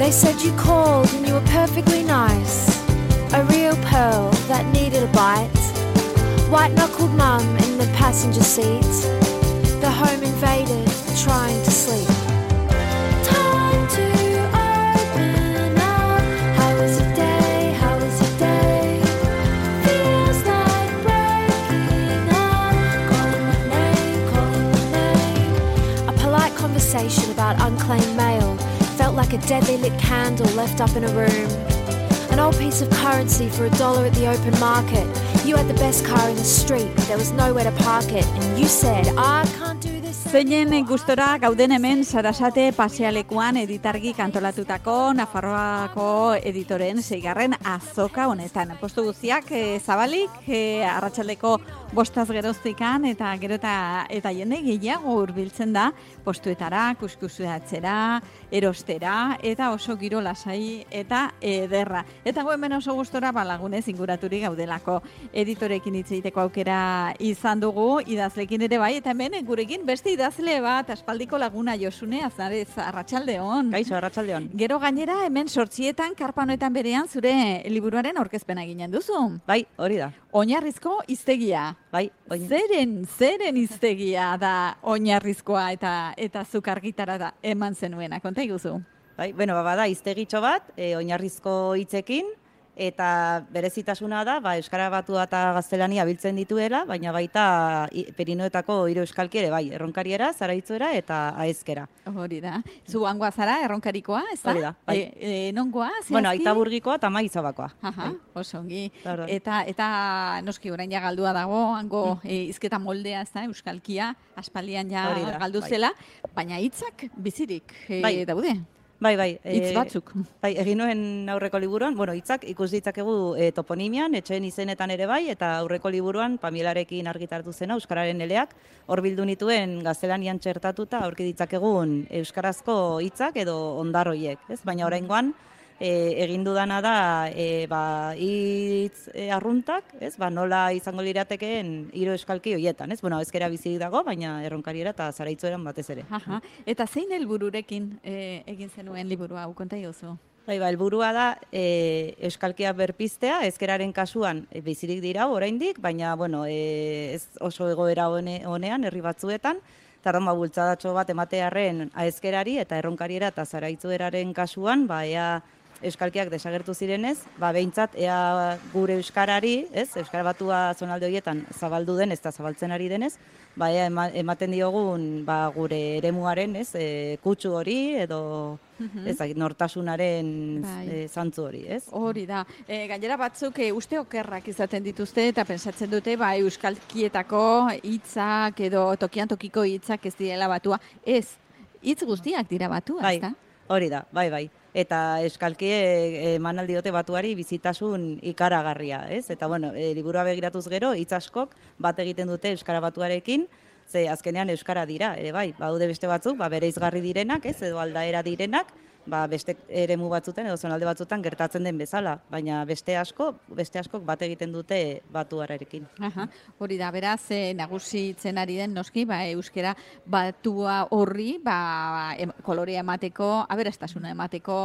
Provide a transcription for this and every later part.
They said you called and you were perfectly nice, a real pearl that needed a bite. White-knuckled mum in the passenger seat, the home invaded, trying to sleep. Time to open up. How was your day? How was your day? Feels like breaking up. Calling my name, calling my name. A polite conversation about unclaimed mail felt like a deadly lit candle left up in a room. An old piece of currency for $1 at the open market. You had the best car in the street, but there was nowhere to park it. And you said, I can't do this. Zeinen gustora gauden hemen Sarasate pasealekuan editargi kantolatutako Nafarroako editoren 6. azoka honetan. Postu guztiak zabalik, arratsaldeko 5 geroztikan eta gero eta jende gehiago hurbiltzen da postuetara, kuskusatzera, erostera eta oso giro lasai eta ederra. Eta hemen oso gustora lagunez inguraturik gaudelako. Editorekin hitz egiteko aukera izan dugu, idazlekin ere bai, eta hemen gurekin beste idazle bat, aspaldiko laguna Josune Aznarez, arratsaldeon. Kaixo, arratsaldeon. Gero gainera hemen 8 karpa honetan berean zure liburuaren aurkezpena eginen duzu. Bai, hori da. Oinarrizko hiztegia. Bai, Zeren hiztegia da oinarrizkoa eta zuk argitara da eman zenuena, konta iguzu. Bai, bada hiztegitxo bat, oinarrizko hitzekin, eta berezitasuna da, Euskara Batua eta Gaztelania biltzen dituela, baina baita Perinoetako 3 euskalki ere, bai, Erronkariera, Zaraitzuera eta Aezkera. Hori da. Zu hangoa zara, Erronkarikoa, ez da? Hori da, bai. Nongoa, zehazki? Bueno, Aitaburgikoa eta Maizabakoa. Aha, oso ongi. Claro. Eta noski orain ja galdua dago, hango hizketa moldea, ez da, euskalkia, aspaldian ja galdu zela, baina hitzak bizirik daude. Bai. Hitz batzuk. Bai, egin nuen aurreko liburuan, hitzak ikus ditzakegu toponimian, etxeen izenetan ere bai, eta aurreko liburuan Pamielarekin argitaratu zena, Euskararen eleak, hor bildu nituen gaztelanian txertatuta aurki ditzakegun euskarazko hitzak edo ondarroiek, ez? Baina oraingoan egin dudana da hitz arruntak, ez? Nola izango liratekeen 3 euskalki hoietan, ez? Ezkera bizirik dago, baina Erronkariera eta Zaraitzueran batez ere. Aha. Eta zein helbururekin egin zenuen liburu hau, konta iguzu? Bai, helburua da euskalkia berpiztea, ezkeraren kasuan bizirik dira oraindik, baina ez oso egoera honean herri batzuetan, eta bultzadatxo bat ematearren aezkerari eta Erronkariera eta Zaraitzueraren kasuan, ea euskalkiak desagertu zirenez, behintzat ea gure euskarari, Euskara Batua zonalde horietan zabaldu denez eta zabaltzen ari denez, ea ematen diogun gure eremuaren, kutsu hori edo nortasunaren zantzu hori, ez? Hori da. Gainera batzuk uste okerrak izaten dituzte eta pensatzen dute euskalkietako hitzak edo tokian tokiko hitzak ez direla batua. Ez, hitz guztiak dira batua, ez da? Hori da, bai. Eta euskalkie eman aldiote batuari bizitasun ikaragarria, ez? Eta liburua begiratuz gero, hitz askok bat egiten dute Euskara Batuarekin, ze azkenean euskara dira, ere bai, baude beste batzuk, bereizgarri direnak, ez, edo aldaera direnak, beste eremu batzutan edo zonalde batzutan gertatzen den bezala, baina beste askok bat egiten dute batuarekin. Aha, hori da, beraz, nagusitzen ari den noski, euskara batua horri, kolorea emateko, aberastasuna emateko,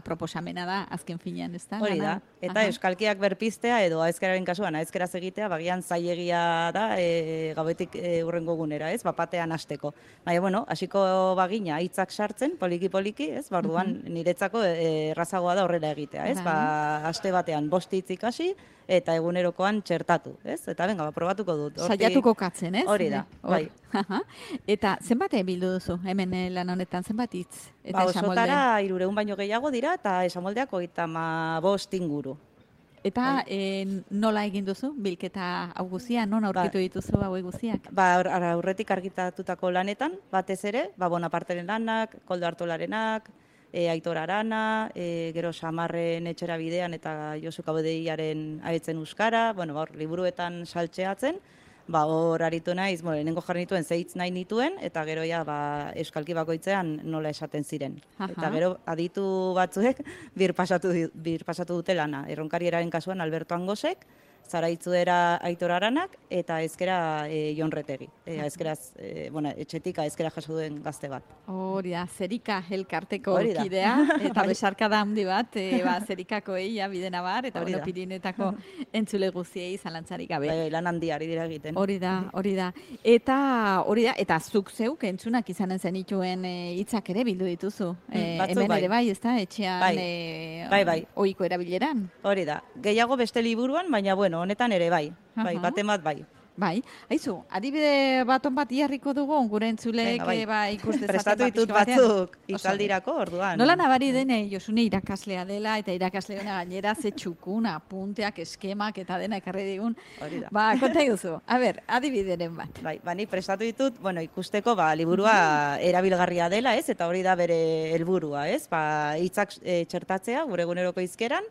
proposamena da, azken finean, ez da? Hori da, eta euskalkiak berpiztea edo aezkeraren kasuan, aezkeraz egitea, bagian zailegia da, gauetik hurrengo gunera, ez, batean hasteko. Baina, hasiko bagina hitzak sartzen, poliki-poliki, ez? Orduan niretzako errazagoa da horrela egitea, ez? Aste batean 5 hitz ikasi eta egunerokoan txertatu, ez? Eta probatuko dut. Saiatuko katzen, ez? Hori da, bai. Eta zenbat bildu duzu hemen lan honetan, zenbat hitz? Osotara 300 baino gehiago dira eta esamoldeak 35 inguru. Eta nola egin duzu, bilketa hau guzia, non aurkitu dituzu hau guziak? Aurretik argitatutako lanetan, batez ere, Bonaparteren lanak, Koldo Artolarenak, Aitor Arana, gero Samarren etxera bidean eta Josu Kabodeiaren abetzen euskara, hor liburuetan saltxeatzen, hor aritu naiz, lehenengo jarri nituen zeitz nahi nituen, eta gero euskalki bakoitzean nola esaten ziren. Eta gero aditu batzuek bir pasatu dute lana. Erronkarieraren kasuan Alberto Angosek, Zaraitzuera Aitor Aranak eta ezkera Jon Retegi. Ezkeraz, etxetik ezkera jaso duen gazte bat. Hori da, Zerika elkarteko Hori da. kidea, eta besarkada handi bat, Zerikakoei bidena bar, eta Hori da. Pirinetako entzule guztiei zalantzarik gabe. Bai, lan handia ari dira egiten. Hori da. Eta zuk zeuk entzunak izanen zenituen hitzak ere bildu dituzu. Batzuk Hemen bai. ere bai, ezta? Etxean Bai. ohiko erabileran. Hori da. Gehiago beste liburuan, baina honetan ere bai. Bai, Aha. baten bat bai. Bai, haizu, adibide baton bat jarriko dugu, gure entzulek Venga, ikus dezaten Prestatu ditut pixka batean. batzuk Oso itzaldirako orduan. Nola nabari dene, Josune irakaslea dela, eta irakasle hona gainera ze txukun, apunteak, eskemak, eta dena ekarri digun. Hori da. Ba, konta iguzu. A ber, adibideren bat. Bai, ni prestatu ditut, ikusteko liburua erabilgarria dela, ez? Eta hori da bere helburua, ez? Hitzak txertatzea gure eguneroko hizkeran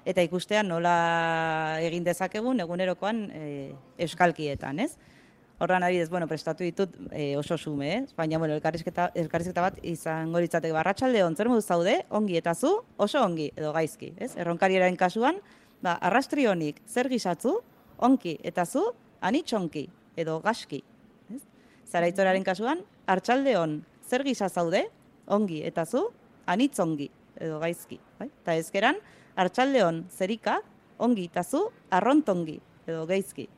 eta ikustea nola egin dezakegun egunerokoan euskalkietan, ez? Horran adibidez, prestatu ditut oso xume, ez? Baina, elkarrizketa bat izango litzateke arratsaldeon, zer moduz zaude, ongi eta zu, oso ongi, edo gaizki, ez? Erronkariaren kasuan, arrastri honik, zer gisatzu, onki eta zu, anitz onki, edo gaski, ez? Zaraitzoraren kasuan, arratsaldeon, zer gisa zaude, ongi eta zu, anitz ongi, edo gaizki, bai? Eta ezkeran, arratsaldeon, zerika, ongi eta zu, arrontongi, edo gaizki.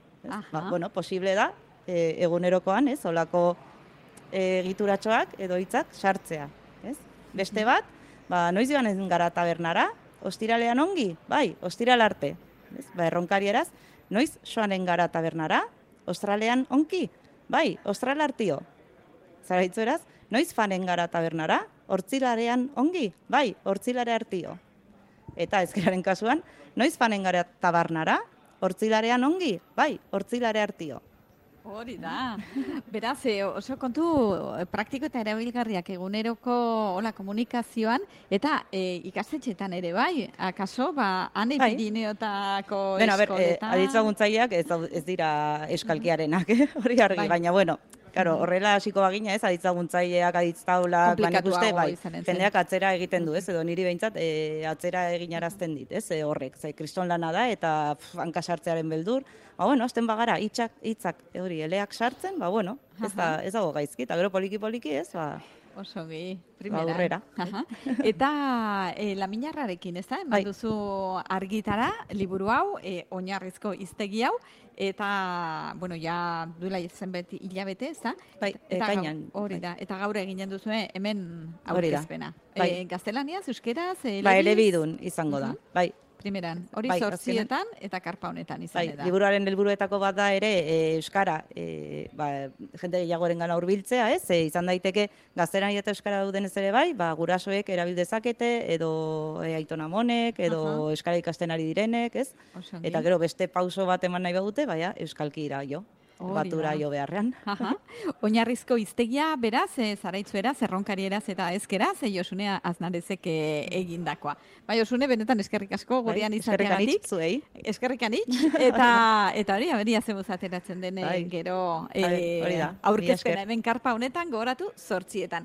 Posible da, egunerokoan, ez, olako egituratxoak edo hitzak sartzea, ez? Beste bat, noiz joanen gara tabernara, ostiralean ongi, bai, ostiral arte, ez? Erronkarieraz, noiz joanen gara tabernara, ostralean onki, bai, ostral artio. Zaraitzueraz, noiz fanen gara tabernara, hortzilarean ongi, bai, hortzilare artio. Eta ezkeraren kasuan, noiz fanen gara tabernara, hortzilarean ongi, bai, hortzilare artio. Hori da. Beraz, oso kontu praktiko eta erabilgarriak eguneroko komunikazioan, eta ikastetxetan ere bai, akaso, ane Pirineotako eskoletan. Aditzaguntzaileak ez dira eskalkiarenak, hori argi, baina, horrela hasiko bagina, ez, aditzaguntzaileak, aditztaulak, ikuste, jendeak atzera egiten du, ez, edo niri behintzat atzera eginarazten dit, ez, horrek, kriston lana da, eta hankasartzearen beldur, azten bagara, hitzak, eleak sartzen, ez dago gaizki, eta gero poliki-poliki, ez, Osogi, primeran. Aurrera. Eta Laminarrarekin, ez da? Eman duzu argitara, liburu hau, oinarrizko hiztegi hau, eta, ja duela zenbait hilabete, ez da? Bai, ekainan. Hori da, eta gaur eginen duzu hemen aurkezpena. Gaztelaniaz, euskeraz, elebidun izango da, bai. Primeran, hori zortzietan eta karpa honetan izan da. Liburuaren helburuetako bat da ere euskara, jende gehiagoren gana hurbiltzea, ez? Izan daiteke gaztelania eta euskara dauden ez ere bai, gurasoek erabil dezakete, edo aitonamonek, edo euskara ikasten ari direnek, ez? Eta gero beste pauso bat eman nahi badute, euskalki ira jo. Batura jo beharrean. Oinarrizko hiztegia, beraz, zaraitzueraz, erronkarieraz eta ezkeraz, Josune Aznarezek egindakoa. Josune, benetan eskerrik asko gurean izateagatik. Eskerrik anitz, eta hori, aberia zemuz ateratzen den gero aurkezpena hemen karpa honetan gogoratu 8:00.